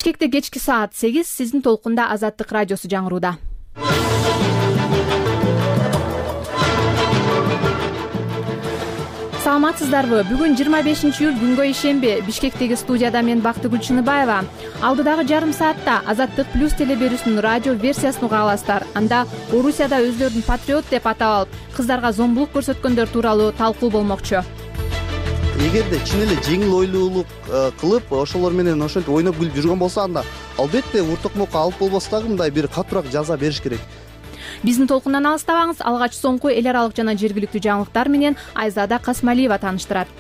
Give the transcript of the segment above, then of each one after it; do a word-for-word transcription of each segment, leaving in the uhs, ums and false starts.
Бишкекте кечки саат сегиз, сиздин толкунда Азаттык радиосу жаңырууда. Саламатсыздарбы? Бүгүн жыйырма бешинчи июль күнгө ишемби. Бишкектеги студияда мен Бактыгүл Чыныбаева. Алдыдагы жарым саатта Азаттык плюс телеберүүсүнүн радио версиясын уга аласыздар. Анда Орусияда өздөрүн патриот деп атап алып, кыздарга зомбулук көрсөткөндөр тууралуу талкуу болмокчу. Эгерде чын эле жеңил ойлуулук кылып, ошолор менен ошентип ойноп күлүп жүргөн болсо, анда албетте уртукмукка алып болбос дагы мындай бир катуураак жаза бериш керек. Биздин толкундан алыстабаңыз. Алгач соңку эл аралык жана жергиликтүү жаңылыктар менен Айзада Касмалиева тааныштырат.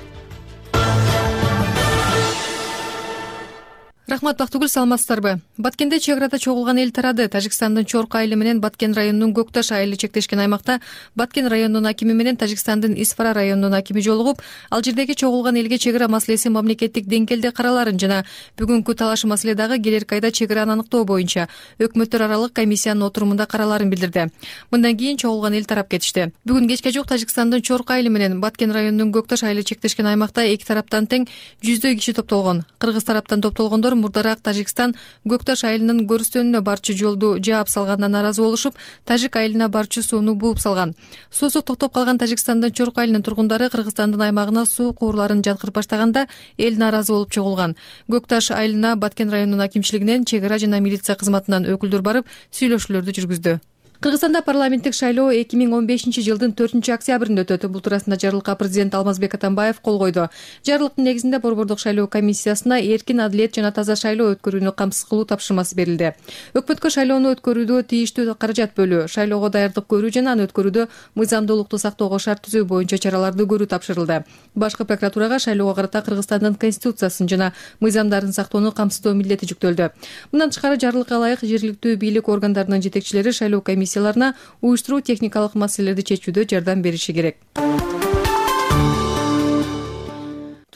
Рахмат, Бактыгүл, саламатсыздарбы? Баткенде чек арада чогулган эл тарады. Тажикстандын Чорк айылы менен Баткен районунун Көкташ айылы чектешкен аймакта Баткен районунун акими менен Тажикстандын Исфара районунун акими жолугуп, ал жердеги чогулган элге чек ара маселеси мамлекеттик деңгээлде караларын жана бүгүнкү талаш маселе дагы келерки айда чек араны аныктоо боюнча өкмөттөр аралык комиссиянын отурумунда караларын билдирди. Мындан кийин чогулган эл тарап кетишти. Бүгүн кечке жок Тажикстандын Чорк айылы менен Баткен районунун Көкташ айылы чектешкен аймакта эки тараптан тең жүздөй киши топтолгон. Кыргыз тараптан топтолгондор мурдараак Тажикстан Көкташ айылынын көрүстөнүнө барчу жолду жаап салгандан наразы болушуп, Тажик айылына барчу сууну бууп салган. Суусу токтоп калган Тажикстандын Чорк айылынын тургундары Кыргызстандын аймагына суу куурларын жаткырып баштаганда эл наразы болуп чогулган. Көкташ айылына Баткен районунун акимчилигинен, чек ара жана милиция кызматынан өкүлдөр барып, сүйлөшүүлөрдү жүргүздү. Кыргызстанда парламенттик шайлоо эки миң он бешинчи жылдын төртүнчү октябрында өтөт. Бул туурасында жарлыкка президент Алмазбек Атамбаев кол койду. Жарлыктын негизинде борбордук шайлоо комиссиясына эркин, адилет жана таза шайлоо өткөрүүнү камсыз кылуу тапшырмасы берилди. Өкмөткө шайлоону өткөрүүдө тийиштүү каражат бөлүү, шайлоого даярдык көрүү жана аны өткөрүүдө мыйзамдуулукту сактоого шарт түзүү боюнча чараларды көрүү тапшырылды. Башкы прокуратурага шайлоого карата Кыргызстандын конституциясын жана мыйзамдарын сактоону камсыздоо милдети жүктөлдү. Мындан тышкары жарлыкка ылайык жергиликтүү бийлик органдарынын жетекчилери шайлоо комиссияларына уюштуруу техникалык маселелерди чечүүдө жардам бериши керек.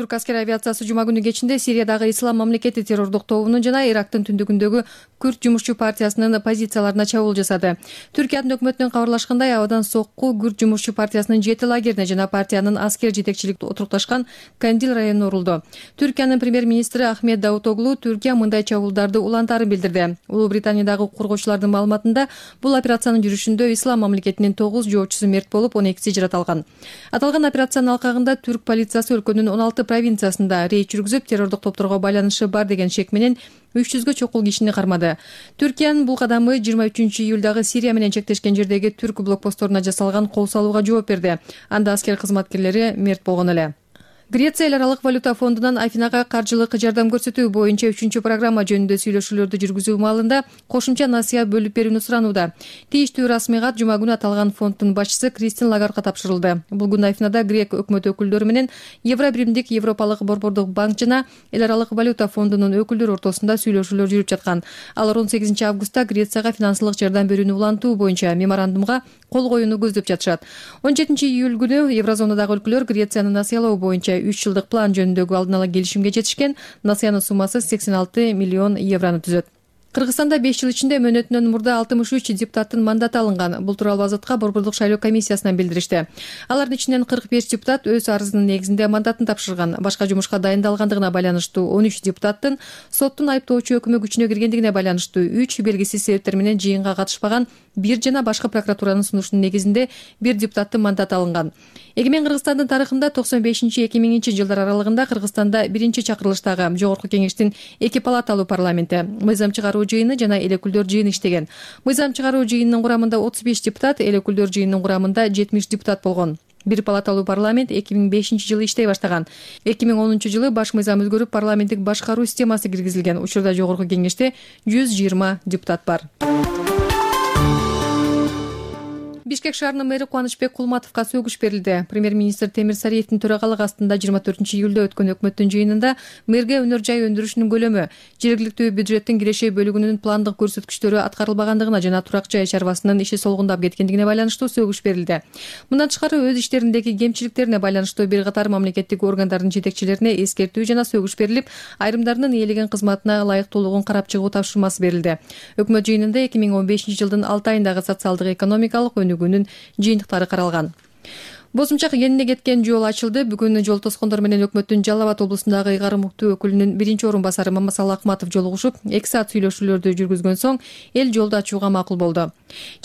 Түрк аскер авиациясы жума күнү кечинде Сириядагы Ислам мамлекети террордук тобунун жана Ирактын түндүгүндөгү Күрд жумушчу партиясынын позицияларына чабуул жасады. Түркиянын өкмөтүнөн кабарлашкандай, абадан сокку Күрд жумушчу партиясынын жети лагерине жана партиянын аскер жетекчилик отурукташкан Кандил районуна урулду. Түркиянын премьер-министри Ахмед Давутоглу Түркия мындай чабуулдарды улантаарын билдирди. Улуу Британиядагы коргоочулардын маалыматында бул операциянын жүрүшүндө Ислам мамлекетинин тогуз жоочусу мерт болуп, он экиси жараталган. Аталган операциянын алкагында түрк полициясы өлкөнүн он алты провинциясында рейд жүргүзүп, террордук топторго байланышы бар деген шек менен үч жүзгө чокул кишини кармады. Түркиянын бул кадамы жыйырма үчүнчү июлдагы Сирия менен чектешкен жердеги түрк блокпостторуна жасалган кол салууга жооп берди. Анда аскер кызматкерлери мерт болгон эле. Греция эл аралык валюта фондунан Афинага каржылык жардам көрсөтүү боюнча үчүнчү программа жөнүндө сүйлөшүүлөрдү жүргүзүү маалында кошумча насыя бөлүп берүүнү суранууда. Тийиштүү расмий кат жума күнү аталган фонддун башчысы Кристин Лагардга тапшырылды. Бул күнү Афинада грек өкмөт өкүлдөрү менен Евробиримдик Европалык борбордук банк жана эл аралык валюта фондунун өкүлдөрү ортосунда сүйлөшүүлөр жүрүп жаткан. Алар он сегизинчи августта Грецияга финансылык жардам берүүнү улантуу боюнча меморандумга кол коюуну көздөп жатышат. он жетинчи июль күнү Еврозонадагы өлкөлөр Грецияны насыялоо боюнча үч жылдык план жөнүндөгү алдын ала келишимге жетишкен. Насыянын суммасы сексен алты миллион еврону түзөт. Кыргызстанда беш жыл ичинде мөөнөтүнөн мурда алтымыш үч депутаттын мандаты алынган. Бул тууралуу Азатка борбордук шайлоо комиссиясынан билдиришти. Алардын ичинен кырк беш депутат өз арызынын негизинде мандатын тапшырган. Башка жумушка дайындалгандыгына байланыштуу он үч депутаттын соттун айыптоочу өкүмү күчүнө киргендигине байланыштуу үч белгисиз себептер менен жыйынга катышпаган бир жана башкы прокуратуранын сунушунун негизинде бир депутаттын мандаты алынган. Эгемен Кыргызстандын тарыхында токсон бешинчи эки миңинчи жылдар аралыгында Кыргызстанда биринчи чакырылыштагы Жогорку Кеңештин эки палаталуу парламенти, мыйзам чыгаруу жыйыны жана эл өкүлдөр жыйыны иштеген. Мыйзам чыгаруу жыйынынын курамында отуз беш депутат, эл өкүлдөр жыйынынын курамында жетимиш депутат болгон. Бир палаталуу парламент эки миң бешинчи жылы иштей баштаган. эки миң онунчу жылы баш мыйзам өзгөрүп, парламенттик башкаруу системасы киргизилген. Учурда Жогорку Кеңеште жүз жыйырма депутат бар. Бишкек шаарынын мэри Кубанычбек Кулматовго сөгүш берилди. Премьер-министр Темир Сариевдин төрагалыгы астында жыйырма төртүнчү июлда өткөн өкмөттүн жыйынында мэрге өнөр жай өндүрүшүнүн көлөмү, жергиликтүү бюджеттин киреши бөлүгүнүн пландык көрсөткүчтөрү аткарылбагандыгына жана турак жай чарбасынын иши солгундап кеткендигине байланыштуу сөгүш берилди. Мындан тышкары өз иштериндеги кемчиликтерине байланыштуу бир катар мамлекеттик органдардын жетекчилерине эскертүү жана сөгүш берилип, айрымдарынын ээлеген кызматына ылайыктуулугун карап чыгуу тапшырмасы берилди. Өкмөт жыйынында эки миң он бешинчи жылдын алты айындагы социалдык экономикалык өнүгүүнүн жыйынтыктары каралган. Бозумча кенине кеткен жол ачылды. Бүгүн жол тоскондор менен өкмөттүн Жалал Абад облусундагы ыйгарым укуктуу өкүлүнүн биринчи орун басары Мамасалы Акматов жолугушуп, эки саат сүйлөшүүлөрдү жүргүзгөн соң эл жолду ачууга макул болду.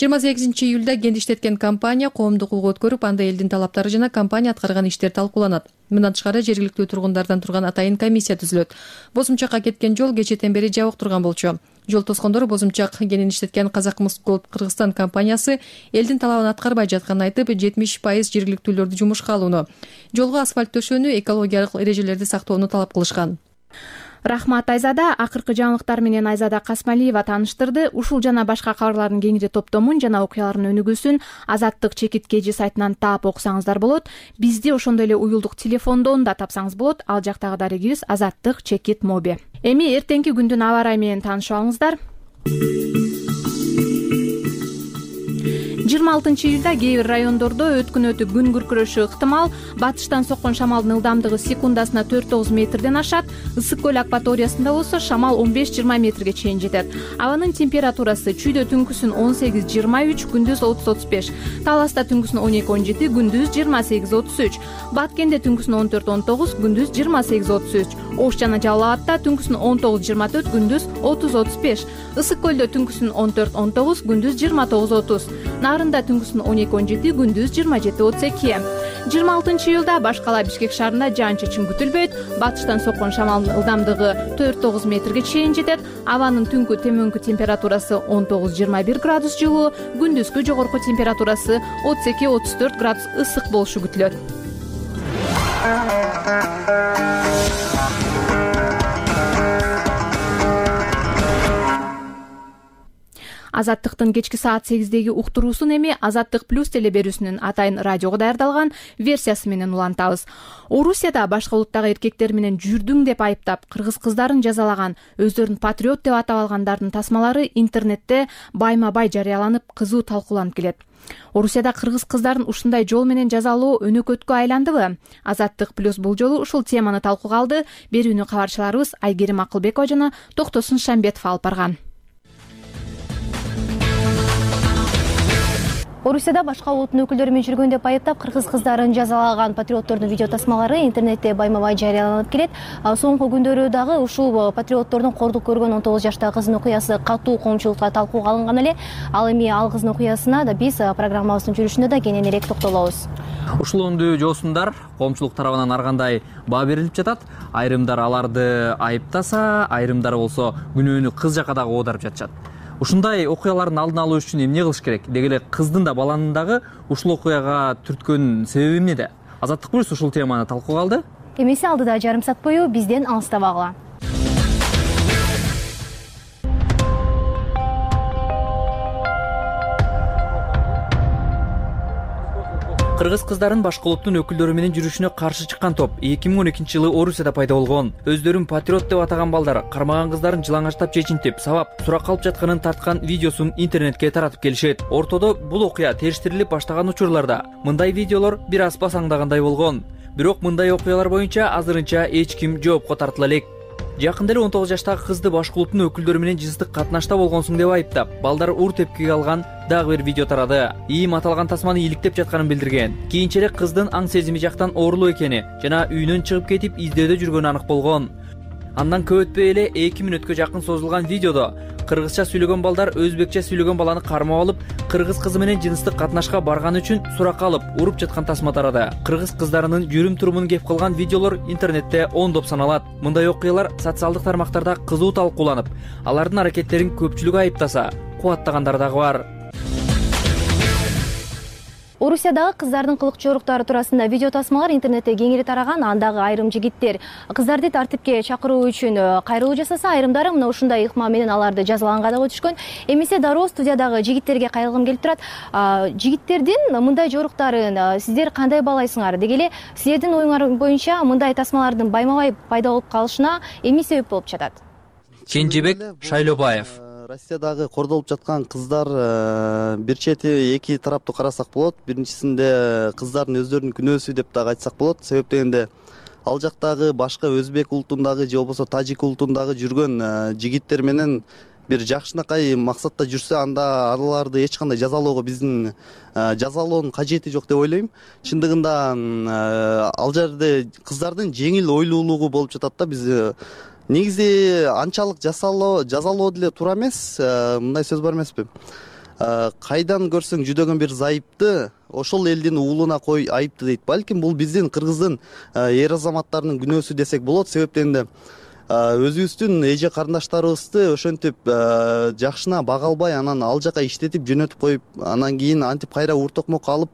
жыйырма сегизинчи июлда кент иштеткен компания коомдук угуу өткөрүп, анда элдин талаптары жана компания аткарган иштер талкууланат. Мындан тышкары жергиликтүү тургундардан турган атайын комиссия түзүлөт. Бозумчакка кеткен жол кечэтен бери жабык турган болчу. Жол тоскондору Бозумчак кенин иштеткен Казакмыс Голд Кыргызстан компаниясы элдин талабын аткарбай жатканын айтып, жетимиш пайыз жергиликтүүлөрдү жумушка алууну, жолго асфальт төшөөнү, экологиялык эрежелерди сактоону талап кылышкан. Рахмат Айзада. Акыркы жаңылыктар менен Айзада Касмалиева тааныштырды. Ушул жана башка кабарлардын кеңири топтомун жана окуялардын өнүгүүсүн Азаттык чекит кежи сайтынан таап окусаңыздар болот. Бизди ошондой эле уюлдук телефондон да тапсаңыз болот. Ал жактагы дарегибиз Азаттык чекит моби. Эми эртеңки күндүн аба ырайы менен таанышып алыңыздар. жыйырма алтынчы июлда кээ бир райондордо өткүнөтү күн күркүрөшү ыктымал. Батыштан соккон шамалдын ылдамдыгы секундасына төрт тогуз метрден ашат. Ысык көл акваториясында болсо шамал он беш жыйырма метрге чейин жетет. Абанын температурасы чүйдө түнкүсүн он сегиз жыйырма үч, күндүз отуз отуз беш. Таласта түнкүсүн он эки он жети, күндүз жыйырма сегиз отуз үч. Баткенде түнкүсүн он төрт он тогуз, күндүз жыйырма сегиз отуз үч. Ош жана Жалал Абадта түнкүсүн он тогуз жыйырма төрт, күндүз отуз отуз беш. Ысык көлдө түнкүсүн он төрт он тогуз, күндүз жыйырма тогуз отуз. Нарында түнкүсүн он эки он жети, күндүз жыйырма жети отуз эки. жыйырма алтынчы июлда башкала Бишкек шаарында жаан-чачын күтүлбөйт. Батыштан соккон шамалдын ылдамдыгы төрт тогуз метрге чейин жетет. Абанын түнкү төмөнкү температурасы он тогуз жыйырма бир градус жылуу, күндүзгү жогорку температурасы отуз эки отуз төрт градус ысык болушу күтүлөт. Азаттыктын кечки саат сегиздеги уктуруусун эми Азаттык плюс телеберүүсүнүн атайын радиого даярдалган версиясы менен улантабыз. Орусияда башка улуттагы эркектер менен жүрдүң деп айыптап, кыргыз кыздарын жазалаган, өздөрүн патриот деп атап алгандардын тасмалары интернетте байма-бай жарыяланып, кызуу талкууланып келет. Орусияда кыргыз кыздарын ушундай жол менен жазалоо өнөкөткө айландыбы? Азаттык плюс бул жолу ушул теманы талкууга алды. Берүүнү кабарчыларыбыз Айгерим Акылбекова жана Токтосун Шамбетов алып барган. Орусияда башка улуттун өкүлдөрү менен жүргөн деп айыптап, кыргыз кыздарын жазалаган патриоттордун видео тасмалары интернетте байма-бай жарыяланып келет. Соңку күндөрү дагы ушул патриоттордун кордук көргөн он тогуз жаштагы кыздын окуясы катуу коомчулукта талкууга алынган эле. Ал эми ал кыздын окуясына да биз программабыздын жүрүшүндө да кененирээк токтолобуз. Ушулондуу жоосундар коомчулук тарабынан ар кандай баа берилип жатат. Айрымдар аларды айыптаса, айрымдары болсо күнөөнү кыз жакка дагы оодарып жатышат. Ушундай окуялардын алдын алуу үчүн эмне кылыш керек? Деги эле кыздын да баланын дагы ушул окуяга түрткөн себеби эмнеде? Азаттык плюс ушул теманы талкууга алды. Эмеси алдыда жарым саат бою бизден алыстабагыла. Кыргыз кыздарын башка улуттун өкүлдөрү менен жүрүшүнө каршы чыккан топ эки миң он экинчи жылы Орусияда пайда болгон. Өздөрүн патриот деп атаган балдар кармаган кыздарын жылаңачтап чечинтип, сабап, суракка алып жатканын тарткан видеосун интернетке таратып келишет. Ортодо бул окуя териштирилип баштаган учурларда мындай видеолор бир аз басаңдагандай болгон. Бирок мындай окуялар боюнча азырынча эч ким жоопко тартыла элек. Жакында эле он тогуз жаштагы кызды башка улуттун өкүлдөрү менен жыныстык катнашта болгонсуң деп айыптап, балдар ур тепкиге алган дагы бир видео тарады. Ийим аталган тасманы иликтеп жатканын билдирген. Кийинчерээк кыздын аң сезими жактан оорулуу экени жана үйүнөн чыгып кетип издөөдө жүргөнү анык болгон. Андан көп өтпөй эле эки мүнөткө жакын созулган видеодо кыргызча сүйлөгөн балдар өзбекче сүйлөгөн баланы кармап алып, кыргыз кызы менен жыныстык катнашка барганы үчүн суракка алып, уруп жаткан тасма тарады. Кыргыз кыздарынын жүрүм-турумун кеп кылган видеолор интернетте ондоп саналат. Мындай окуялар социалдык тармактарда кызуу талкууланып, алардын аракеттерин көпчүлүк айыптаса, кубаттагандар дагы бар. Орусиядагы кыздардын кылык жоруктары туурасында видео тасмалар интернетте кеңири тараган. Андагы айрым жигиттер кыздарды тартипке чакыруу үчүн кайрылуу жасаса, айрымдары мына ушундай ыкма менен аларды жазалаганга да өтүшкөн. Эмесе дароо студиядагы жигиттерге кайрылгым келип турат. Жигиттердин мындай жоруктарын сиздер кандай баалайсыңар? Деги эле силердин оюңар боюнча мындай тасмалардын байма-бай пайда болуп калышына эмне себеп болуп жатат? Кенжебек Шайлобаев. Россиядагы кордолуп жаткан кыздар бир чети эки тараптуу карасак болот. Биринчисинде кыздардын өздөрүнүн күнөөсү деп дагы айтсак болот. Себеп дегенде ал жактагы башка өзбек улутундагы же болбосо тажик улутундагы жүргөн жигиттер менен бир жакшынакай максатта жүрсө, анда аларды эч кандай жазалоого биздин жазалоонун кажети жок деп ойлойм. Чындыгында ал жерде кыздардын жеңил ойлуулугу болуп жатат да. Биз негизи анчалык жазалоо жазалоо деле туура эмес. Мындай сөз бар эмеспи? Кайдан көрсөң жүдөгөн бир зайыпты ошол элдин уулуна кой айыпты дейт. Балким бул биздин кыргыздын эр азаматтарынын күнөөсү десек болот. Себептен да өзүбүздүн эже карындаштарыбызды ошентип жакшына бага албай, анан ал жака иштетип жөнөтүп коюп, анан кийин антип кайра ур токмок алып,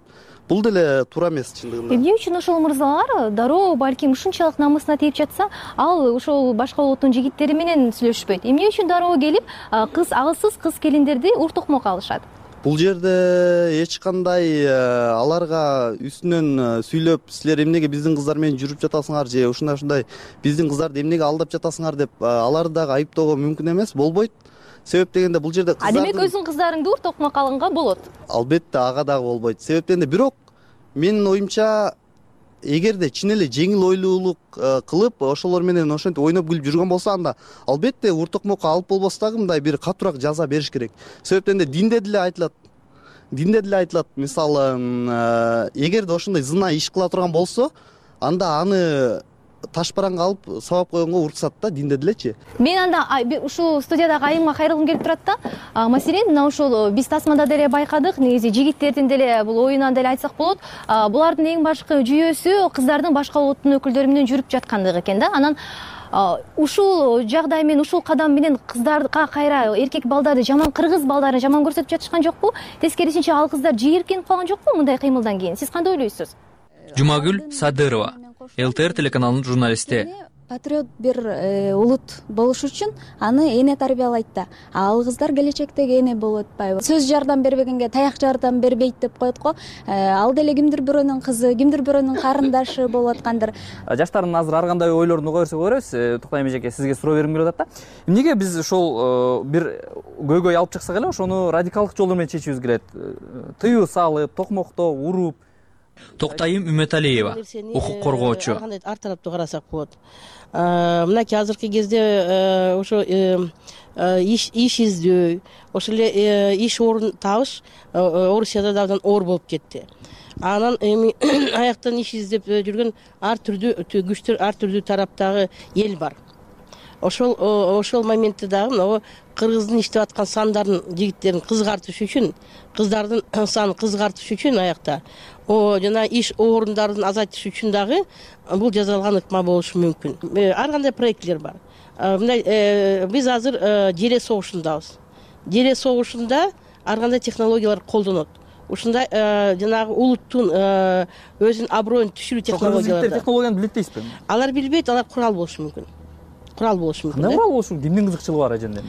бул деле туура эмес чындыгында. Эмне үчүн ошол мырзалар дароо балким ушунчалык намысына тийип жатса, ал ошол башка улуттун жигиттери менен сүйлөшпөйт? Эмне үчүн дароо келип кыз агылсыз кыз келиндерди ур токмок алышат? Бул жерде эч кандай аларга үстүнөн сүйлөп, силер эмнеге биздин кыздар менен жүрүп жатасыңар же ушундай ушундай биздин кыздарды эмнеге алдап жатасыңар деп аларды дагы айыптоого мүмкүн эмес, болбойт. Себеп дегенде бул жерде кыздардын... А демек өзүң кыздарыңды ур токмок алганга болот? Албетте, ага дагы болбойт. Себептен бирок менин оюмча, эгерде чын эле жеңил ойлуулук кылып, ошолор менен ошентип ойноп күлүп жүргөн болсо, анда албетте ур токмокко алып болбос дагы мындай бир катуураак жаза бериш керек. Себептен динде деле айтылат. Динде деле айтылат. Мисалы, эгерде ошондой зына иш кыла турган болсо, анда аны таш бараңга алып сабап койгонго уруксат да, динде делечи. Мен анда ушул студиядагы айымга кайрылгым келип турат да. Маселен, мына ушул биз тасмада деле байкадык, негизи жигиттердин деле бул оюнан деле айтсак болот. Булардын эң башкы жүйөсү кыздардын башка улуттун өкүлдөрү менен жүрүп жаткандыгы экен да. Анан ушул жагдай менен, ушул кадам менен кыздарга кайра эркек балдарды жаман, кыргыз балдарын жаман көрсөтүп жатышкан жокпу? Тескерисинче ал кыздар жийиркенип калган жокпу мындай кыймылдан кийин? Сиз кандай ойлойсуз? Жумагүл Садырова, ЛТР телеканалынын журналисти. Патриот бир улут болуш үчүн аны эне тарбиялайт да. Ал кыздар келечектеги эне болуп атпайбы? Сөз жардам бербегенге таяк жардам бербейт деп коет го. Ал деле кимдир бирөөнүн кызы, кимдир бирөөнүн карындашы болуп аткандыр. Жаштардын азыр ар кандай ойлорун уга берсек көрөбүз. Туктай эжеке, сизге суроо бергим келип атат да. Эмнеге биз ошол бир көйгөй алып чыксак эле, ошону радикалдык жолдор менен чечүүбүз келет? Тыюу салып, токмоктоо, уруп. Токтайым Үмөталиева, укук коргоочу. Ар тараптуу карасак болот. Мынакей азыркы кезде ошо иш иш издөө, ошол эле иш орун табыш Орусияда да абдан оор болуп кетти. Анан эми аяктан иш издеп жүргөн ар түрдүү күчтөр, ар түрдүү тараптагы эл бар. Ошол ошол моментте дагы мына кыргыздын иштеп аткан сандарын, жигиттерин кызгартыш үчүн, кыздардын санын кызгартыш үчүн аякта о жана иш орундарын азайтыш үчүн дагы бул жасалган ыкма болушу мүмкүн. Ар кандай проектлер бар. Мындай биз азыр жере согушундабыз. Жере согушунда ар кандай технологиялар колдонот. Ушундай жанагы улуттун өзүнүн аброюн түшүрүү технологиялары. Технологияны билет дейсизби? Алар билбейт, алар курал болушу мүмкүн. Курал болушу мүмкүн. Кандай курал болушу? Кимдин кызыкчылыгы бар эженден?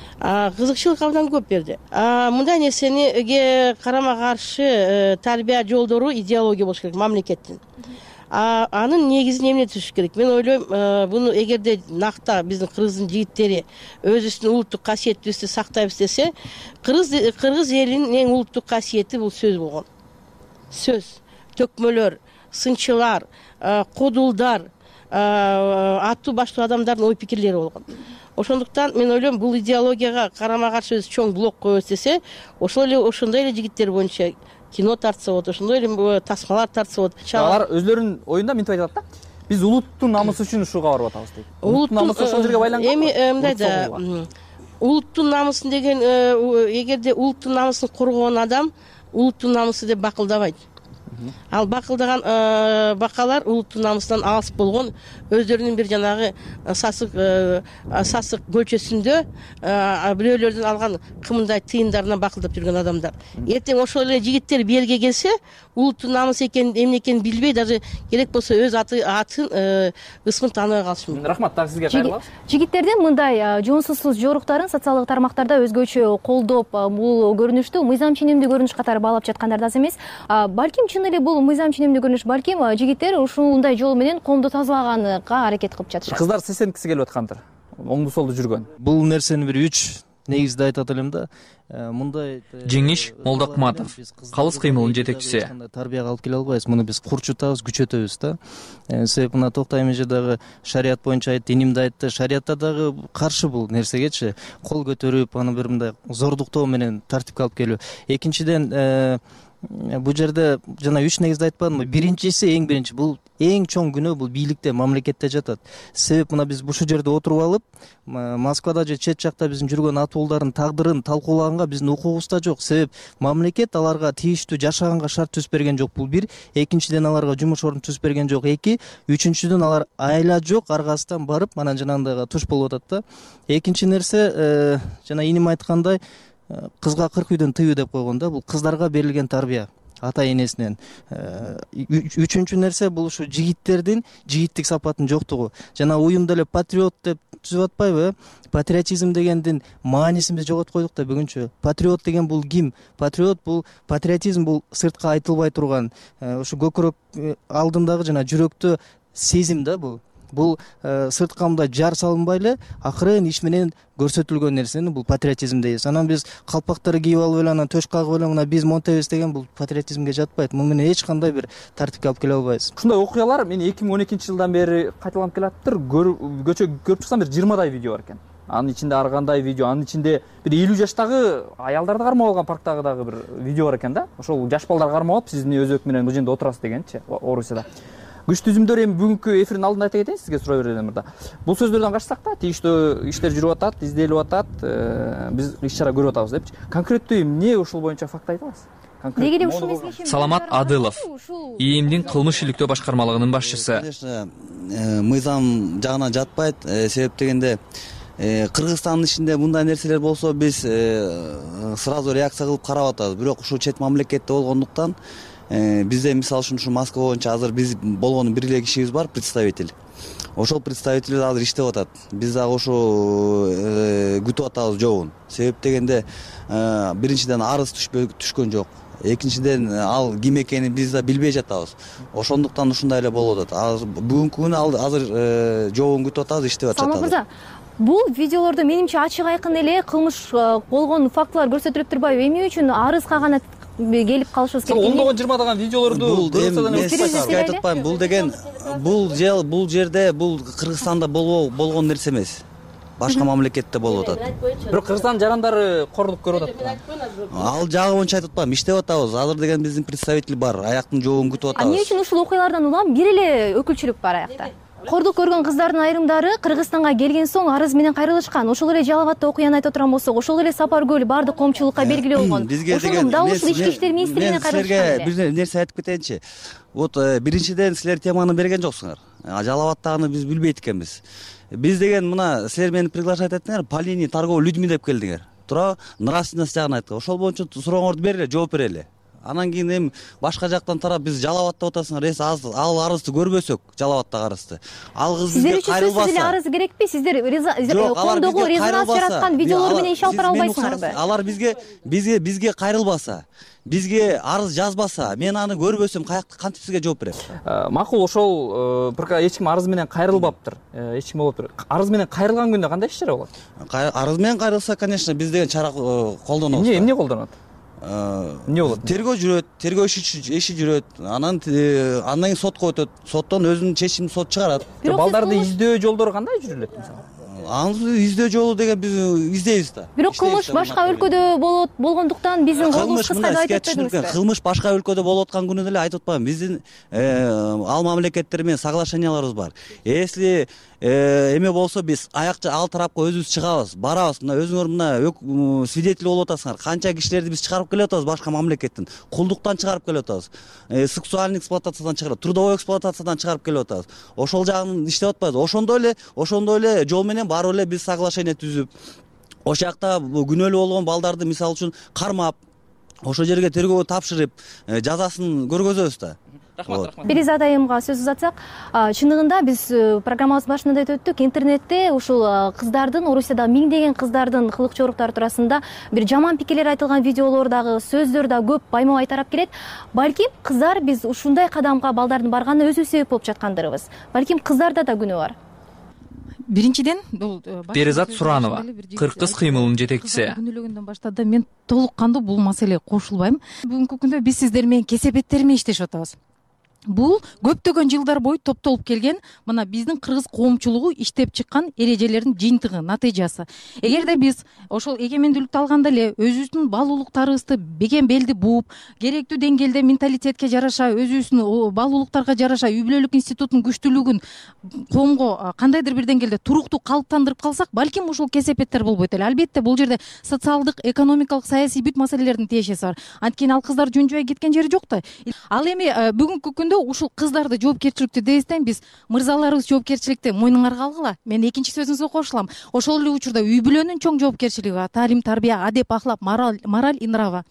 Кызыкчылык абдан көп берди. Мындай нерсеге карама каршы тарбия жолдору идеология болуш керек мамлекеттин. Анын негизин эмне түзүш керек? Мен ойлойм, буну эгерде накта биздин кыргыздын жигиттери өзүбүздүн улуттук касиетибизди сактайбыз десе, кыргыз кыргыз элинин эң улуттук касиети бул сөз болгон. Сөз, төкмөлөр, сынчылар, кодулдар, аттуу баштуу адамдардын ой пикирлери болгон. Ошондуктан мен ойлойм, бул идеологияга карама каршы өзү чоң блок коебуз десе, ошол эле ошондой эле жигиттер боюнча кино тартса болот, ошондой эле тасмалар тартса болот. Алар өзлөрүнүн оюнда мынтип айтат да. Биз улуттун намысы үчүн ушуга барып атабыз дейт. Улуттун намысы ошол жерге байланган. Эми мындай да, улуттун намысын деген, эгерде улуттун намысын коргогон адам улуттун намысы деп бакылдабайт. Ал бакылдаган бакалар улуттун намысынан алыс болгон, өздөрүнүн бир жанагы сасык сасык көчөсүндө бирөөлөрдөн алган кымындай тыйындарына бакылдап жүргөн адамдар. Эртең ошол эле жигиттер белге келсе, улуттун намысы экенин, эмне экенин билбей, даже керек болсо өз аты атын ысмын тааныбай калышы мүмкүн. Рахмат, так сизге кайрылабыз. Жигиттердин мындай жонсузсуз жоруктарын социалдык тармактарда өзгөчө колдоп, бул көрүнүштү мыйзам ченемдүү көрүнүш катары баалап жаткандар да аз эмес. Балким чын эле бул мыйзам ченемдүү көрүнүш, балким жигиттер ушундай жол менен коомду тазалаганга аракет кылып жатышат. Кыздар сесенткиси келип аткандыр. Оңду солду жүргөн. Бул нерсени бир үч негизде айтат элем да, мындай Жеңиш Молдокматов, калыс кыймылдын жетекчиси. Тарбияга алып келе албайбыз, муну биз курчутабыз, күчөтөбүз да. Себеп мына Токтой эже дагы шарият боюнча айтты, инимде айтты, шариятта дагы каршы бул нерсегечи, кол көтөрүп, аны бир мындай зордуктоо менен тартипке алып келүү. Экинчиден, бул жерде жана үч негизде айтпадымбы? Биринчиси, эң биринчи, бул эң чоң күнөө бул бийликте, мамлекетте жатат. Себеп мына биз ушул жерде отуруп алып, Москвада же чет жакта биздин жүргөн атуулдардын тагдырын талкуулаганга биздин укугубуз да жок. Себеп мамлекет аларга тийиштүү жашаганга шарт түзүп берген жок, бул бир. Экинчиден, аларга жумуш орун түзүп берген жок, эки. Үчүнчүдөн, алар айла жок, аргасынан барып, анан жанагындайга туш болуп атат да. Экинчи нерсе, жана иним айткандай, кызга кырк үйдөн тыюу деп койгон да, бул кыздарга берилген тарбия ата энесинен. Үчүнчү нерсе, бул ушу жигиттердин жигиттик сапатынын жоктугу. Жана уюмда эле патриот деп түзүп атпайбы? Патриотизм дегендин маанисин биз жоготуп койдук да бүгүнчө. Патриот деген бул ким? Патриот бул, патриотизм бул сыртка айтылбай турган, ушу көкүрөк алдындагы жана жүрөктө сезим да бул. Бул сыртка мындай жар салынбай эле акырын иш менен көрсөтүлгөн нерсени бул патриотизм дейбиз. Анан биз калпактарды кийип алып эле анан төш кагып эле мына биз монтебиз деген бул патриотизмге жатпайт. Муну менен эч кандай бир тартипке алып келе албайбыз. Ушундай окуялар мени эки миң он экинчи жылдан бери кайталанып келатыптыр. Көчө көрүп чыксам бир жыйырмадай видео бар экен. Анын ичинде ар кандай видео, анын ичинде бир элүү жаштагы аялдарды кармап алган парктагы дагы бир видео бар экен да. Ошол жаш балдар кармап алып, сиз эмне өзөк менен бул жерде отурасыз дегенчи, Орусияда. Күч түзүмдөр эми бүгүнкү эфирдин алдында айта кетейин сизге, суроо берем мырда. Бул сөздөрдөн качсак да, тийиштүү иштер жүрүп атат, изделип атат, биз иш чара көрүп атабыз депчи. Конкреттүү эмне ушул боюнча факт айта аласыз? Деги эле ушул мезгилче Саламат Адылов, ИИМдин кылмыш иликтөө башкармалыгынын башчысы. Конечно, мыйзам жагынан жатпайт. Себеп дегенде, Кыргызстандын ичинде мындай нерселер болсо биз сразу реакция кылып карап атабыз. Бирок ушул чет мамлекетте болгондуктан бизде мисалы үчүн ушу Москва боюнча азыр биз болгон бир эле кишибиз бар, представитель. Ошол представитель азыр иштеп атат. Биз дагы ошо күтүп атабыз жообун. Себеп дегенде, биринчиден арыз түшкөн жок. Экинчиден, ал ким экенин биз да билбей жатабыз. Ошондуктан ушундай эле болуп атат. Бүгүнкү күнү азыр жообун күтүп атабыз, иштеп атат. Салмак мырза, бул видеолордо менимче ачык айкын эле кылмыш болгон фактылар көрсөтүлүп турбайбы? Эмне үчүн арызга гана келип калышыбыз керек? Ондогон жыйырмадан видеолорду сизге айтып атпайм, бул деген бул жел бул жерде бул Кыргызстанда болгон нерсе эмес. Башка мамлекетте болуп атат. Бирок Кыргызстандын жарандары кордук көрүп атат. Ал жагы боюнча айтып атпайм, иштеп атабыз. Азыр деген биздин представитель бар, аяктын жообун күтүп атабыз. А эмне үчүн ушул окуялардан улам бир эле өкүлчүлүк бар аякта? Кордук көргөн кыздардын айрымдары Кыргызстанга келген соң арыз менен кайрылышкан. Ошол эле Жалал Абадта окуяны айтып турган болсок, ошол эле Сапар көл бардык коомчулукка белгилүү болгон. Ошону дал ушул ички иштер министрлигине кайрылышкан. Бир нерсе айтып кетейинчи. Вот биринчиден силер теманы берген жоксуңар. Жалал Абадтагыны биз билбейт экенбиз. Биз деген мына силер мени приглашать этиңер, по линии торговый людьми деп келдиңер. Тура нравственность жагын айткан. Ошол боюнча сурооңорду берели, жооп берели. Анан кийин эми башка жактан тарап биз Жалал Абадта отасыңар, эс ал арызды көрбөсөк, Жалал Абадтагы арызды. Ал кыз бизге кайрылбаса. Сиздер үчүн арыз керекпи? Сиздер коомдогу резонанс жараткан видеолор менен иш алып бара албайсыңарбы? Алар бизге бизге бизге кайрылбаса, бизге арыз жазбаса, мен аны көрбөсөм, кантип сизге жооп берем? Макул, ошол бир эч ким арыз менен кайрылбаптыр. Эч ким болуптур. Арыз менен кайрылган күндө кандай иш чара болот? Арыз менен кайрылса, конечно, биз деген чара колдонобуз. Эмне эмне колдонот? Эмне болот? Тергөө жүрөт, тергөө иши жүрөт. Анан андан кийин сотко өтөт. Соттон өзүнүн чечимин сот чыгарат. Балдарды издөө жолдору кандай жүрүлөт мисалы? Аны издөө жолу деген биз издейбиз да. Бирок кылмыш башка өлкөдө болот болгондуктан биздин кылмыш кыскайды айтып атпайбызбы? Кылмыш башка өлкөдө болуп аткан күнү деле айтып атпаймын. Биздин ал мамлекеттер менен соглашенияларыбыз бар. Если эме болсо биз аякча ал тарапка өзүбүз чыгабыз, барабыз. Мына өзүңөр мына свидетель болуп атасыңар. Канча кишилерди биз чыгарып келип атабыз башка мамлекеттен. Кулдуктан чыгарып келип атабыз. Сексуальный эксплуатациядан чыгарып, трудовой эксплуатациядан чыгарып келип атабыз. Ошол жагын иштеп атпайбыз. Ошондой эле, ошондой эле жол менен барып эле биз соглашение түзүп, ошол жакта күнөөлүү болгон балдарды мисалы үчүн кармап, ошол жерге тергөөгө тапшырып, жазасын көргөзөбүз да. Рахмат, рахмат. Перизат айымга сөз узатсак, чындыгында биз программабыз башында айтып өттүк, интернетте ушул кыздардын, Орусияда миңдеген кыздардын кылык жоруктары туурасында бир жаман пикирлер айтылган видеолор дагы, сөздөр да көп байма-бай тарап келет. Балким кыздар биз ушундай кадамга балдардын барганына өзүбүз себеп болуп жаткандырбыз. Балким кыздарда да күнөө бар. биринчиден бул Перизат Суранова, кыркыз кыймылынын жетекчиси. Күнөөлөгөндөн баштап мен толук кандуу бул маселеге кошулбайм. Бүгүнкү күндө биз сиздер менен кесепеттерим менен иштешип атабыз. Бул көптөгөн жылдар бою топтолуп келген мына биздин кыргыз коомчулугу иштеп чыккан эрежелердин жыйынтыгы, натыйжасы. Эгерде биз ошол эгемендүүлүктү алганда эле өзүбүздүн бал улуктарыбызды бекем белди бууп, керектүү деңгээлде менталитетке жараша, өзүбүздүн бал улуктарга жараша үй бүлөлүк институттун күчтүүлүгүн коомго кандайдыр бир деңгээлде туруктуу калыптандырып калсак, балким ушул кесепеттер болбойт эле. Албетте бул жерде социалдык, экономикалык, саясий бүт маселелердин тиешеси бар. Анткени ал кыздар жөн жубай кеткен жери жок да. Ал эми бүгүнкү күндө ушул кыздарды жоопкерчиликтүү дээстен биз мырзаларыбыз жоопкерчиликти мойнуңарга алгыла. Мен экинчи сөзүңүзгө кошулам. Ошол эле учурда үй бүлөнүн чоң жоопкерчилиги бар. Таалим, тарбия, адеп, ахлак, мораль, мораль и нрава.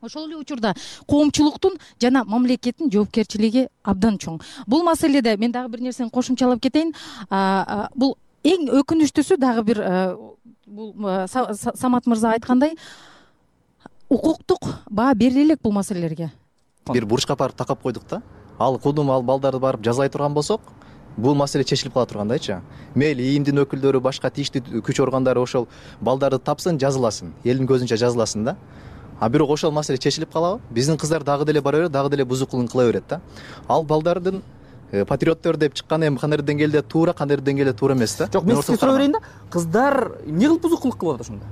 Ошол эле учурда коомчулуктун жана мамлекеттин жоопкерчилиги абдан чоң. Бул маселеде мен дагы бир нерсени кошумчалап кетейин. Бул эң өкүнүчтүүсү дагы бир бул Самат мырза айткандай укуктук баа бериле элек бул маселелерге. Бир бурчка барып такап койдук да. Ал кудум ал балдарды барып жазалай турган болсок, бул маселе чечилип кала тургандайчы. Мейли ийимдин өкүлдөрү, башка тийиштүү күч органдары ошол балдарды тапсын, жазыласын, элдин көзүнчө жазыласын да. А бирок ошол маселе чечилип калабы? Биздин кыздар дагы деле бара берет, дагы деле бузук кылык кыла берет да. Ал балдардын патриоттор деп чыккан эми кандайдыр деңгээлде туура, кандайдыр деңгээлде туура эмес да. Жок, мен сизге суроо берейин да. Кыздар эмне кылып бузук кылык кылып атат ошондо?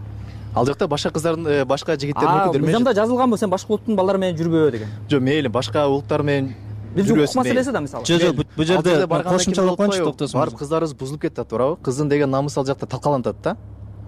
Ал жакта башка кыздардын, башка жигиттердин өкүлдөрү менен. Мыйзамда жазылганбы сен башка улуттун балдары менен жүрбө деген? Жок, мейли башка улуттар менен бир укук маселеси да мисалы. Жок, жок, бул жерде кошумчалап койчу, токтосуң. Барып кыздарыбыз бузулуп кетти туурабы? Кыздын деген намысы ал жакта талкаланат да.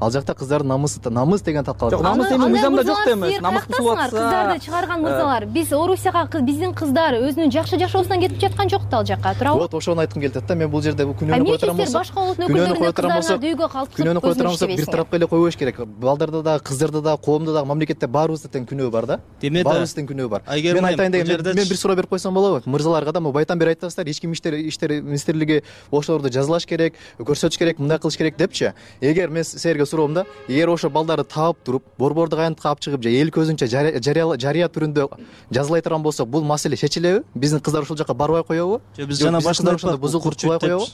Ал жакта кыздардын намысы, намыс деген талкаланат. Жок, намыс эми мыйзамда жок да эмес. Намыс бузулуп атса, кыздарды чыгарган мырзалар. Биз Орусияга биздин кыздар өзүнүн жакшы жашоосунан кетип жаткан жок да ал жака, туурабы? Вот ошону айткым келип атат да. Мен бул жерде бул күнөөнү кое турам болсок, башка улуттун өкүлдөрүнө кыздарына үйгө калып күнөөнү кое турам болсок, бир тарапка эле койбош керек. Балдарда да, кыздарда да, коомдо да, мамлекетте баарыбызда тең күнөө бар да. Баарыбызда тең күнөө бар. Мен айтайын деген, мен бир суроо берип койсом болобу? Мырзаларга да, байтан бери айтасыздар, ички иштер иштер министрлиги ошолорду жазалаш керек, көрсөтүш керек, мындай кылыш керек депчи. Эгер мен силерге суроом да, эгер ошо балдарды таап туруп, борбордук аянтка алып чыгып, же эл көзүнчө жарыя түрүндө жазалай турган болсок, бул маселе чечилеби? Биздин кыздар ушул жака барбай коебу? Же биз жана башында ошондо бузук кылбай коебу?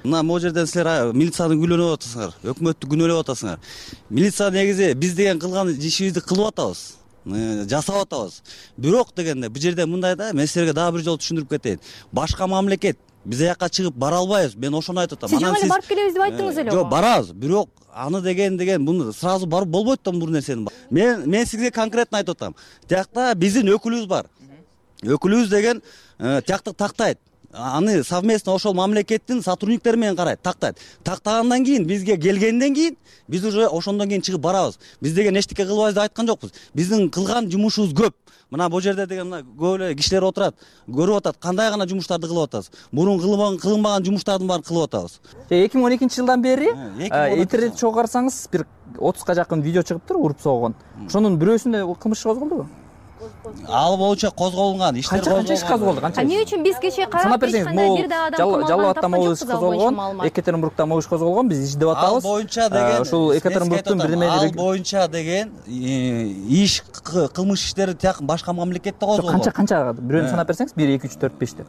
Мына могу жерден силер милицияны күнөөлөп атасыңар, өкмөттү күнөөлөп атасыңар. Милиция негизи биз деген кылган ишибизди кылып атабыз, жасап атабыз. Бирок дегенде бул жерде мындай да, мен силерге дагы бир жолу түшүндүрүп кетейин. Башка мамлекет биз аяка чыгып бара албайбыз. Мен ошону айтып атам. Сиз жаңы эле барып келебиз деп айттыңыз эле. Жок, барабыз. Бирок аны деген деген буну сразу барып болбойт да бул нерсени. Мен мен сизге конкретно айтып атам. Тиякта биздин өкүлүбүз бар. Өкүлүбүз деген тиякты тактайт. Аны совместно ошол мамлекеттин сотрудниктери менен карайт, тактайт. Тактагандан кийин бизге келгенден кийин биз уже ошондон кийин чыгып барабыз. Биз деген эчтеке кылбайбыз деп айткан жокпуз. Биздин кылган жумушубуз көп. Мына бул жерде деген мына көп эле кишилер отурат, көрүп атат, кандай гана жумуштарды кылып атабыз. Мурун кылбаган, кылынбаган жумуштардын баарын кылып атабыз. эки миң он экинчи жылдан бери интернет чогуу карасаңыз бир отузга жакын видео чыгыптыр, уруп согон. Ошонун бирөөсүндө кылмыш иш козголдубу? Ал боюнча козголгон, иштер козголгон. Канча иш козголду, канча? Эмне үчүн биз кечээ карап эч кандай бир да адам кылмаган, Жалал абадта могу иш козголгон, Екатеринбургда могу иш козголгон, биз издеп атабыз. Ал боюнча деген ушул Екатеринбургдун бирдеме ал боюнча деген иш кылмыш иштери тияк башка мамлекетте козголгон. Канча канча бирөөнү санап берсеңиз, бир эки үч төрт беш деп.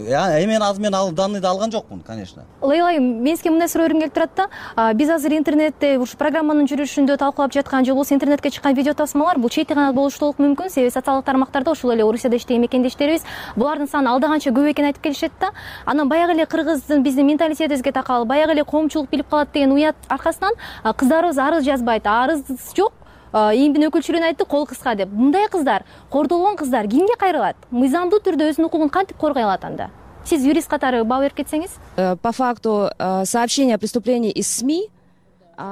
Эми азыр мен ал данныйды алган жокмун, конечно. Лейлай, мен сизге мындай суроо бергим келип турат да. Биз азыр интернетте ушу программанын жүрүшүндө талкуулап жаткан же болбосо интернетке чыккан видео тасмалар бул чейти гана болушу толук мүмкүн. Себеби социалдык тармактарда ушул эле Орусияда иштеген мекендештерибиз булардын саны алда канча көп экенин айтып келишет да. Анан баягы эле кыргыздын биздин менталитетибизге такал, баягы эле коомчулук билип калат деген уят аркасынан кыздарыбыз арыз жазбайт. Арыз жок. Ийимдин өкүлчүлүгүн айтты, кол кыска деп. Мындай кыздар, кордолгон кыздар кимге кайрылат? Мыйзамдуу түрдө өзүнүн укугун кантип коргой алат анда? Сиз юрист катары баа берип кетсеңиз? По факту сообщения о преступлении из СМИ.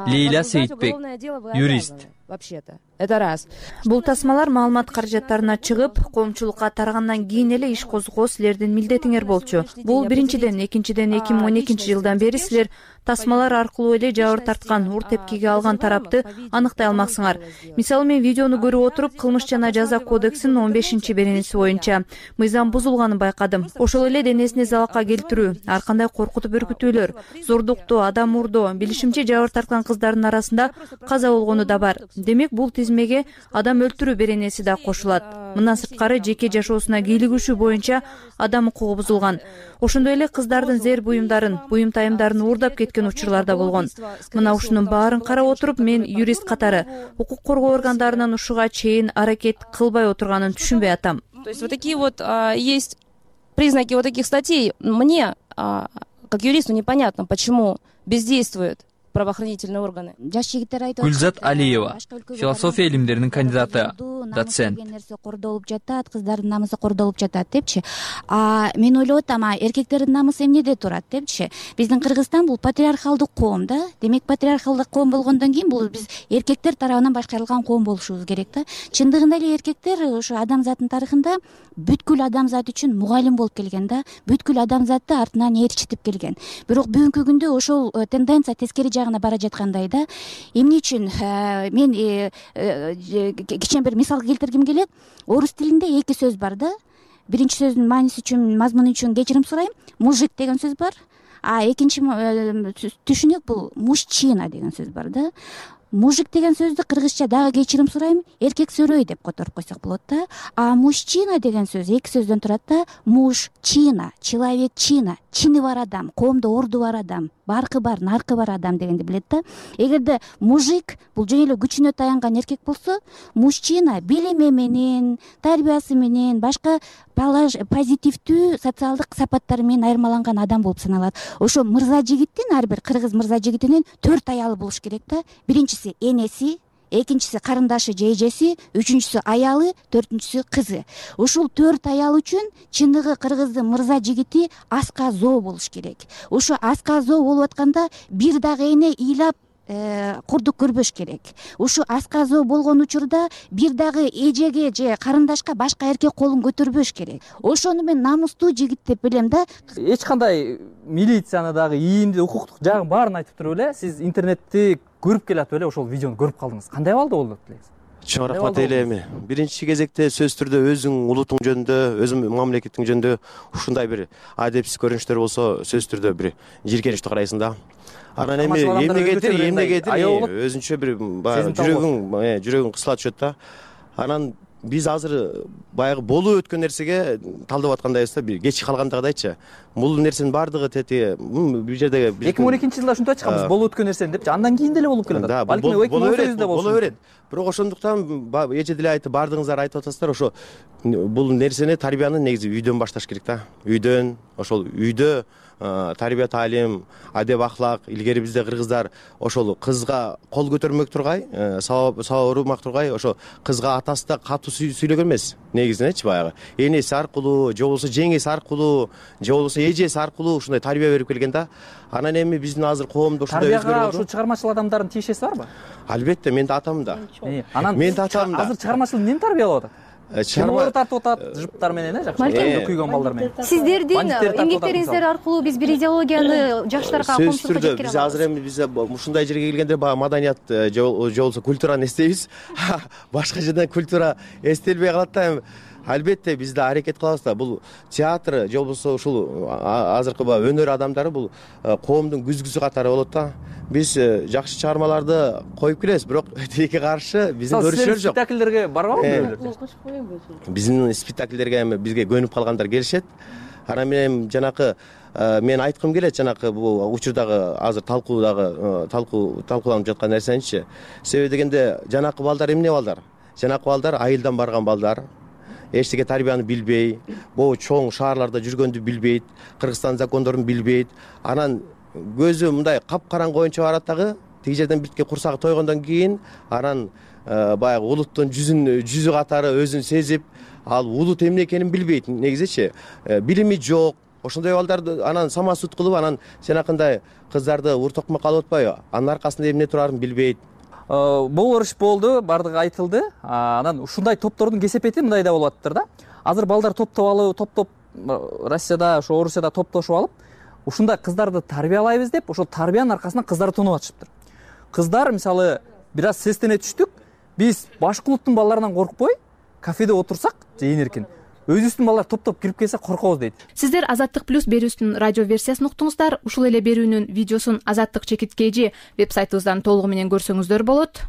Лейля Сейитбек, юрист. Вообще-то. Это раз. Бул тасмалар маалымат каражаттарына чыгып, коомчулукка тарагандан кийин эле иш козгоо силердин милдетиңер болчу. Бул биринчиден, экинчиден эки миң он экинчи жылдан бери силер тасмалар аркылуу эле жабыр тарткан, ур тепкиге алган тарапты аныктай алмаксыңар. Мисалы мен видеону көрүп отуруп, кылмыш жана жаза кодексинин он бешинчи беренеси боюнча мыйзам бузулганын байкадым. Ошол эле денесине залалга келтирүү, ар кандай коркутуп үркүтүүлөр, зордуктоо, адам урдоо, билишимче жабыр тарткан кыздардын арасында каза болгону да бар. демек бул тизмеге адам өлтүрүү беренеси да кошулат. Мындан сырткары жеке жашоосуна кийлигишүү боюнча адам укугу бузулган. Ошондой эле кыздардын зер буюмдарын, буюм тайымдарын уурдап кеткен учурлар да болгон. Мына ушунун баарын карап отуруп, мен юрист катары укук коргоо органдарынын ушуга чейин аракет кылбай отурганын түшүнбөй атам. То есть вот такие вот а, есть признаки вот таких статей. Мне, а, как юристу, непонятно, почему бездействуют правоохранительные органы. Гүлзат Алиева, философия илимдеринин кандидаты, доцент. Нерсе кордолуп жатат, кыздардын намысы кордолуп жатат депчи. А мен ойлоп атам, эркектердин намысы эмнеде турат депчи. Биздин Кыргызстан бул патриархалдык коом да. Демек патриархалдык коом болгондон кийин бул биз эркектер тарабынан башкарылган коом болушубуз керек да. Чындыгында эле эркектер ошо адамзаттын тарыхында бүткүл адамзат үчүн мугалим болуп келген да. Бүткүл адамзатты артынан ээрчитип келген. Бирок бүгүнкү күндө ошол тенденция тескери жагына бара жаткандай да. Эмне үчүн мен кичине бир мисал келтиргим келет. Орус тилинде эки сөз бар да. Биринчи сөздүн мааниси үчүн, мазмуну үчүн кечирим сурайм. Мужик деген сөз бар. А экинчи түшүнүк бул мужчина деген сөз бар да. Мужик деген сөздү кыргызча дагы кечирим сурайм, эркек сөрөй деп которуп койсок болот да. А мужчина деген сөз эки сөздөн турат да. Мужчина, человеччина, чини бар адам, коомдо орду бар адам, баркы бар, наркы бар адам дегенди билет да. Эгерде мужик бул жөн эле күчүнө таянган эркек болсо, мужчина билими менен, тарбиясы менен, башка позитивдүү социалдык сапаттары менен айырмаланган адам болуп саналат. Ошо мырза жигиттин, ар бир кыргыз мырза жигитинин төрт аялы болуш керек да. Биринчиси энеси, экинчиси карындашы же эжеси, үчүнчүсү аялы, төртүнчүсү кызы. Ушул төрт аял үчүн чындыгы кыргыздын мырза жигити аска зоо болуш керек. Ошо аска зоо болуп атканда бир дагы эне ыйлап курдук көрбөш керек. Ушу асказоо болгон учурда бир дагы эжеге же карындашка башка эркек колун көтөрбөш керек. Ошону мен намустуу жигит деп билем да. Эч кандай милицияны дагы ийимди укуктук жагын баарын айтып туруп эле сиз интернетти көрүп келатып эле ошол видеону көрүп калдыңыз. Кандай абалда болду элеңиз? Чоң рахмат элеми. Биринчи кезекте сөз түрдө өзүң улутуң жөнүндө, өзүң мамлекетиң жөнүндө ушундай бир адепсиз көрүнүштөр болсо сөз түрдө бир жийиркеничтүү карайсың да. Анан эми эмнегедир, эмнегедир өзүнчө бир жүрөгүң, жүрөгүң кысыла түшөт да. Анан биз азыр баягы болуп өткөн нерсеге талдап аткандайбыз да, бир кеч калгандагыдайчы. Бул нерсенин бардыгы тети бул жерде эки миң он экинчи жылда ушинтип атышканбыз, болуп өткөн нерсени депчи. Андан кийин деле болуп келатат. Балким эки миң он сегизде болсун. Боло берет. Бирок ошондуктан эже деле айтып, бардыгыңыздар айтып атасыздар, ошо бул нерсени, тарбияны негизи үйдөн башташ керек да. Үйдөн, ошол үйдө тарбия таалим, адеп ахлак, илгери бизде кыргыздар ошол кызга кол көтөрмөк тургай, сабап сабап урмак тургай, ошо кызга атасы да катуу сүйлөгөн эмес. Негизинечи баягы энеси аркылуу, же болбосо жеңеси аркылуу, же болбосо эжеси аркылуу ушундай тарбия берип келген да. Анан эми биздин азыр коомдо ушундай өзгөрүү болду. Тарбияга ушул чыгармачыл адамдардын тиешеси барбы? Албетте, мен да атам да. Анан мен да атам да. Азыр чыгармачыл эмнени тарбиялап атат? Чыгармалар тартып атат, жыптар менен, э, жакшы. Эмне күйгөн балдар менен. Сиздердин эмгектериңиздер аркылуу биз бир идеологияны жаштарга комсуткка жеткире алабыз. Биз азыр эми биз ушундай жерге келгенде баягы маданият же болбосо культураны эстейбиз. Башка жерден культура эстелбей калат да. Эми албетте биз да аракет кылабыз да. Бул театр же болбосо ушул азыркы баягы өнөр адамдары бул коомдун күзгүсү катары болот да. Биз жакшы чыгармаларды коюп келебиз, бирок тиги каршы биздин көрүшүлөр жок. Спектакльдерге барбабы бирөөлөр? Биздин спектакльдерге эми бизге көнүп калгандар келишет. Анан мен жанакы мен айткым келет, жанакы бул учурдагы азыр талкуудагы талкуу талкууланып жаткан нерсеничи. Себеби дегенде жанакы балдар эмне балдар? Жанакы балдар айылдан барган балдар. Эчтеке тарбияны билбей, могу чоң шаарларда жүргөндү билбейт, Кыргызстан закондорун билбейт. Анан көзү мындай капкараңгы боюнча барат дагы, тиги жерден биртке курсагы тойгондон кийин анан баягы улуттун жүзүн жүзү катары өзүн сезип, ал улут эмне экенин билбейт негизичи. Билими жок. Ошондой балдарды анан самасут кылып, анан жанакындай кыздарды уртокмокко алып атпайбы? Анын аркасында эмне турарын билбейт. Болор иш болду, бардыгы айтылды. Анан ушундай топтордун кесепети мындай да болуп атыптыр да. Азыр балдар топтоп алып, топтоп Россияда, ошо Орусияда топтошуп алып, ушундай кыздарды тарбиялайбыз деп, ошол тарбиянын аркасынан кыздарды тонуп атышыптыр. Кыздар мисалы бир аз сестене түштүк, биз башка улуттун балдарынан коркпой, кафеде отурсак, же эркин өзүбүздүн балдар топтоп кирип келсе коркобуз дейт. Сиздер Азаттык плюс берүүсүнүн радио версиясын уктуңуздар. Ушул эле берүүнүн видеосун Азаттык чекиткейжи веб сайтыбыздан толугу менен көрсөңүздөр болот.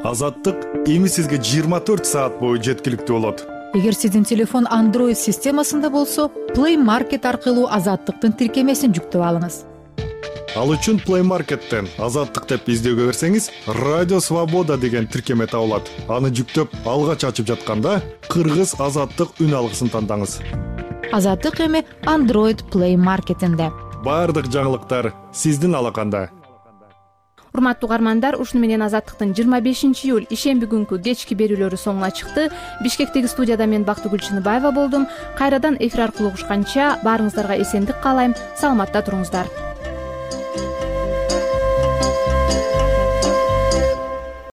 Азаттык эми сизге жыйырма төрт саат бою жеткиликтүү болот. Эгер сиздин телефон Android системасында болсо, Play Market аркылуу Азаттыктын тиркемесин жүктөп алыңыз. Ал үчүн Play Market'тен Азаттык деп издөөгө берсеңиз, Радио Свобода деген тиркеме табылат. Аны жүктөп, алгач ачып жатканда Кыргыз Азаттык үн алгысын тандаңыз. Азаттык эми Android Play Market'инде. Бардык жаңылыктар сиздин алаканда. Урматтуу угармандар, ушуну менен Азаттыктын жыйырма бешинчи июль ишемби күнкү кечки берүүлөрү соңуна чыкты. Бишкектеги студияда мен Бактыгүл Чыныбаева болдум. Кайрадан эфир аркылуу угушканча баарыңыздарга эсендик каалайм. Саламатта туруңуздар.